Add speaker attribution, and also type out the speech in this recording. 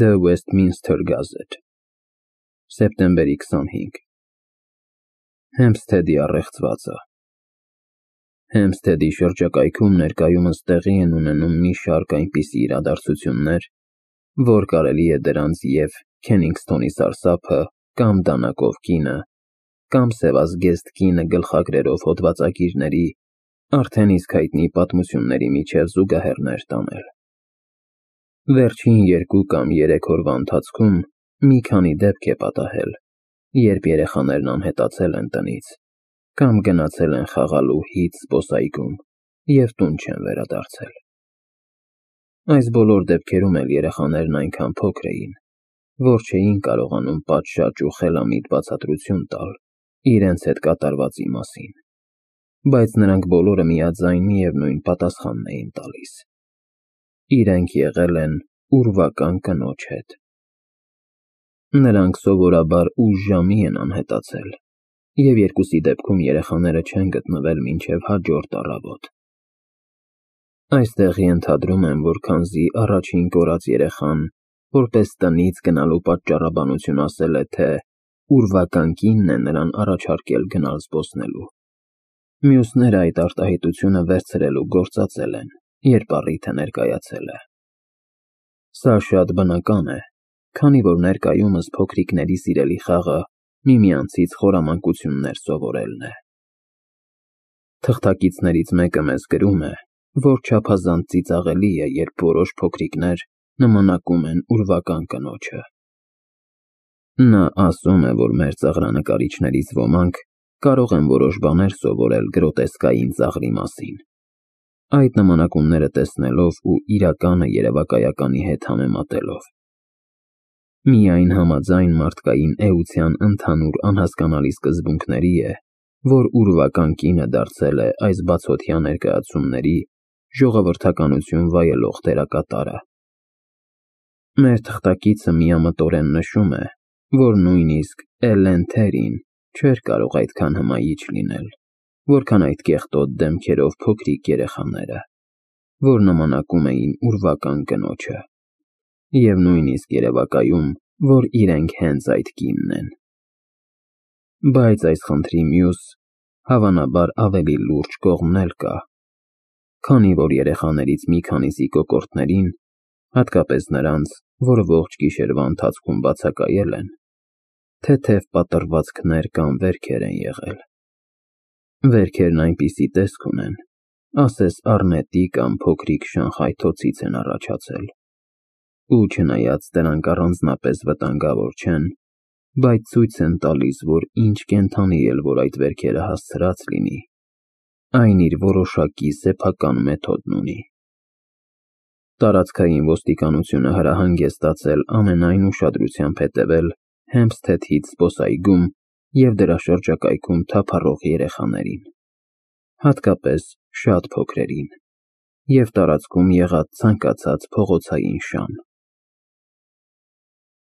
Speaker 1: The Westminster Gazette, սեպտեմբերի 25 Հեմփսթեդի առեղծվածը Հեմփսթեդի շրջակայքում ներկայումս տեղի են ունենում մի շարք այնպիսի իրադարձություններ, որ կարելի է դրանց և Քենինգսթոնի սարսափը, կամ դանակով կինը, կամ սևազգեստ կինը գլխագրերով հոդվածագիրների, արդեն իսկ հայտնի պատմությունների միջև զուգահեռներ տանել։ Վերջին 2 կամ 3 օրվա ընթացքում մի քանի դեպք է պատահել, երբ երեխաներն անհետացել են տնից, կամ գնացել են խաղալու հիթ զբոսայգում և տուն չեն վերադարձել։ Այս բոլոր դեպքերում էլ երեխաներն այնքան փոքր էին, որ չէին կարողանում պատշաճ ու խելամիտ բացատրություն տալ իրենց հետ կատարվածի մասին, բայց նրանք բոլորը միաձայն միևնույն պատասխանն էին տալիս. իրենք եղել են ուրվական կնոջ հետ։ Նրանք սովորաբար ուշ ժամի են անհետացել, և երկուսի դեպքում երեխաները չեն գտնվել մինչև հաջորդ առավոտ։ Այստեղ ենթադրում եմ, որ քանզի առաջին կորած երեխան որպես տնից գնալու պատճառաբանություն ասել է, թե ուրվական կինն է նրան առաջարկել գնալ զբոսնելու, մյուսները այդ արտահայտությունը վերցրել ու գործածել են, երբ առիթը ներկայացել է։ Սա շատ բնական է, քանի որ ներկայումս փոքրիկների սիրելի խաղը միմյանցից խորամանկություններ սովորելն է։ Թղթակիցներից մեկը մեզ գրում է, որ չափազանց ծիծաղելի է, երբ որոշ փոքրիկներ նմանակում են ուրվական կնոջը։ Նա ասում է, որ մեր ծաղրանկարիչներից ոմանք կարող են որոշ բաներ սովորել գրոտեսկային ծաղրի մասին, այդ նմանակումները տեսնելով ու իրականը երևակայականի հետ համեմատելով։ Միայն համաձայն մարդկային էության ընդհանուր անհասկանալի սկզբունքների է, որ ուրվական կինը դարձել է այս բացօթյա ներկայացումների ժողովրդականություն վայելող դերակատարը։ Մեր թղթակիցը միամտորեն նշում է, որ նույնիսկ Էլլեն Թերին չէր կարող այդքան հմայիչ լինել, որքան այդ կեղտոտ դեմքերով փոքրիկ երեխաները, որ նմանակում էին ուրվական կնոջը, և նույնիսկ երևակայում, որ իրենք հենց այդ կինն են։ Բայց այս խնդրի մյուս, հավանաբար ավելի լուրջ կողմն էլ կա, քանի որ երեխաներից մի քանիսի կոկորդներին, հատկապես նրանց, որ ողջ գիշերվա ընթացքում բացակայել են, թեթև պատռվածքներ կամ վերքեր են եղել։ Վերքերն այնպիսի տեսք ունեն, ասես առնետի կամ փոքրիկ շանխայթոցից են առաջացել, ու չնայած դրանք առանձնապես վտանգավոր չեն, բայց ցույց են տալիս, որ ինչ կենդանի էլ որ այդ վերքերը հասցրած լինի, այն իր որոշակի սեփական մեթոդն ունի։ Տարածքային ոստիկանությունը հրահանգ է ստացել ամենայն ուշադրությամբ հետևել Հեմփսթեդ Հիթ զբոսայգում և դրա շրջակայքում թափառող երեխաներին, հատկապես շատ փոքրերին, և տարածքում եղած ցանկացած փողոցային շան։